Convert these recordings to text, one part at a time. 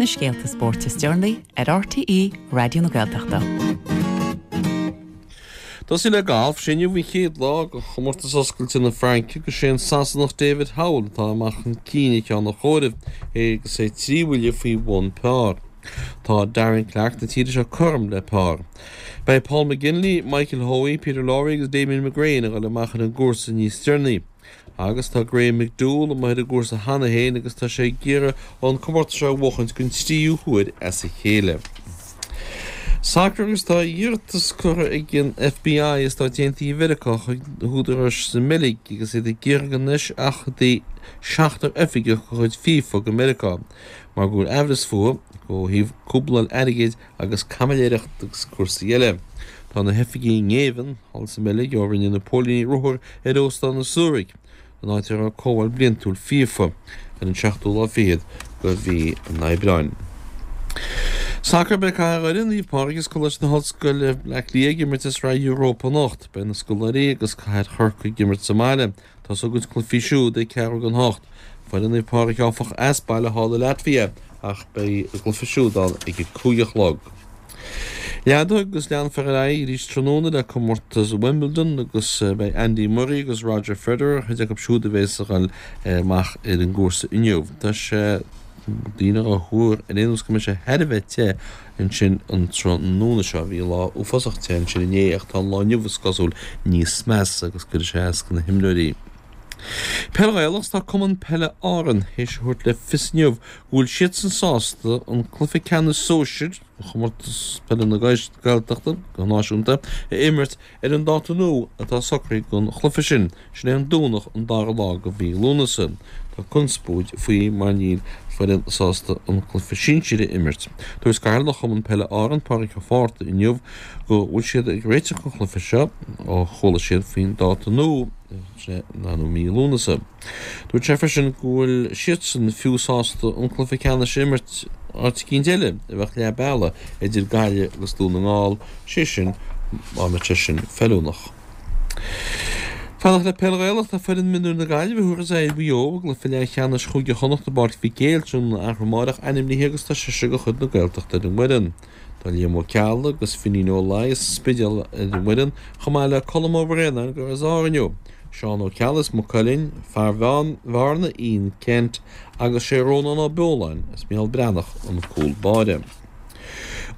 Na scéalta spóirt is deireanaí ar RTÉ Raidió na Gaeltachta. Tosaí le galf, sé inniu an chéad lá de Chomórtas Oscailte na Fraince agus sé an Sasanach David Howell atá amach chun cinn ag ceann an chomhairimh agus é 3 bhuille faoi bhun par. Tá Darren Clarke na tíre seo cothrom le par. Beidh Paul McGinley, Michael Hoey, Peter Lawrie agus Damien McGrane ag dul amach ar an gcúrsa níos deireanaí. Agus tá Graham McDowell amuigh ar an gcúrsa cheana féin agus tá sé ag iarraidh an comórtas seo a bhuachaint den tríú huair as a chéile. Sacar agus tá iarratas curtha ag an FBI i Stáit Aontaithe Mheiriceá chuig na húdaráis sa mBeilg agus iad ag iarraidh go n-eiseachadfaí seachtar oifigeach de chuid FIFA go Meiriceá mar go bhfuil aimhreas fúthu ó thaobh cúbláil airgid agus caimiléireacht agus cúrsaí eile. Tá na hoifigigh i ngéibheann thall sa mBeilg ó rinne na póilíní ruathar ar Óstán an Zurich, an áit a raibh comhdháil bliantúil FIFA, ar an seachtú lá fichead de mhí an Aibreáin. Sacar Beidh Cathair Dhoire, Naomh Pádraig agus Coláiste na hOllscoile, Bleá Cliath ag imirt i Sraith Europa anocht. Beidh na scoláirí agus Cathair Chorcaí ag imirt sa mbaile. Tosóidh a gcuid cluichí siúd ag ceathrú don hocht. Foireann Naomh Pádraig, áfach, as baile thall i Latvia ach beidh a gcluiche siúd ann ag a 5 a chlog. Leadóg agus leanfar ar aghaidh arís tráthnóna le comórtas Wimbledon agus beidh Andy Murray agus Roger Federer ar chuid acu siúd a bheas ag dul amach ar an gcúrsa inniu. Tá sé daoine á thuar ar aon nós go mbeidh sé thar a bheith te ansin an tráthnóna seo. Bhí lá uafásach te ansin inné ach tá an lá inniu is cosúil níos measa agus cuirfidh sé as do na himreoirí. Peil Ghaelach Tá Cumann Peile Árann théis a thabhairt le fios inniu go bhfuil siadsan sásta an cluiche ceannais sóisir de chomórtas peile na Gaeltachta go náisiúnta a imirt ar an dáta nua atá socraithe don chluiche sin. Sin é an Domhnach an dara lá de mhí Lúnasa. Tá conspóid faoi mar níl foireann sásta an cluiche sinsir a imirt. Dúirt Cathaoirleach Chumann Peile Árann, Pádraig Ó Fátharta inniu go bhfuil siad ag réiteach don chluiche seo ó chuala siad faoin dáta nua, sin é an dara mí Lúnasa. Dúirt sé freisin go bhfuil siadsan fiú sásta an cluiche ceannais a imirt áit eicínt eile a bheadh leath bealaigh idir Gaillimh agus Dún na nGall, sé sin dá mbeadh sé sin feiliúnach. Fanacht le Peil Ghaelach, tá foireann mionúir na Gaillimhe a thabharfas aghaidh ar Mhaigh Eo i gcluiche leathcheannais Chúige Chonnacht i bPáirc Mhic Éil tráthnóna arú amárach ainmnithe agus tá seisear de chuid na Gaeltachta ar an bhfoireann. Tá Liam Ó Ceallaigh agus Finín Ó Laoi as an Spidéal ar an bhfoireann chomh maith le Colm Ó Braonáin gur as Árainn ó. Seán Ó Ceallaigh as Maigh Cuilinn, fear Bhearna Ian Kent agus sé Rónán Ó Beoláin as Micheál Breathnach an cúl báire.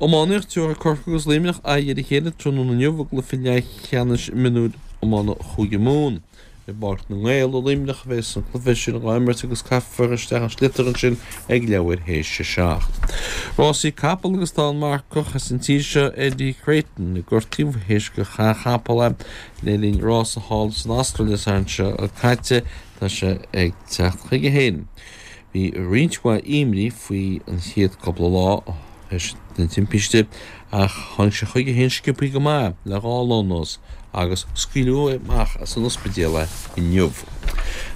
Iománaíocht, Tabharfaidh Corcaigh agus Luimneach aghaidh ar a chéile tráthnóna inniu i gcluiche leathcheannais mionúir iomána Chúige Mumhan. I bPáirc na nGael i Luimneach a bheas an cluiche sin á imirt agus caithfear isteach an sliotar ansin ag leathuair théis a 7. Rásaí capall agus tá an marcach as an tír seo Eddie Creighton gortaithe théis gur chaith capall é le linn rása thall san Astráil Dé Sathairn seo caite. Tá sé ag teacht chuige féin. Bhí roinnt mhaith imní faoi an chéad cúpla lá théis na timpiste ach tháinig sé chuige féin sciobthaí go maith le dhá lá anuas agus scaoileadh amach as an ospidéal é inniu.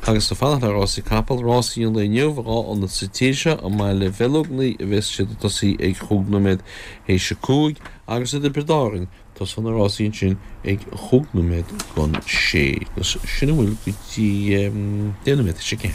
Agus ag fanacht le rásaí capall, rásaí an lae inniu, dhá ionad sa tír seo, i mBaile Bheilógnaí a bheas siad ag tosaí ag chúig nóiméad théis a cúig agus i dTiobraid Árann tosóidh na rásaí ansin ag chúig nóiméad don sé. Agus sin a bhfuil go dtí deich nóiméad théis a ceathair.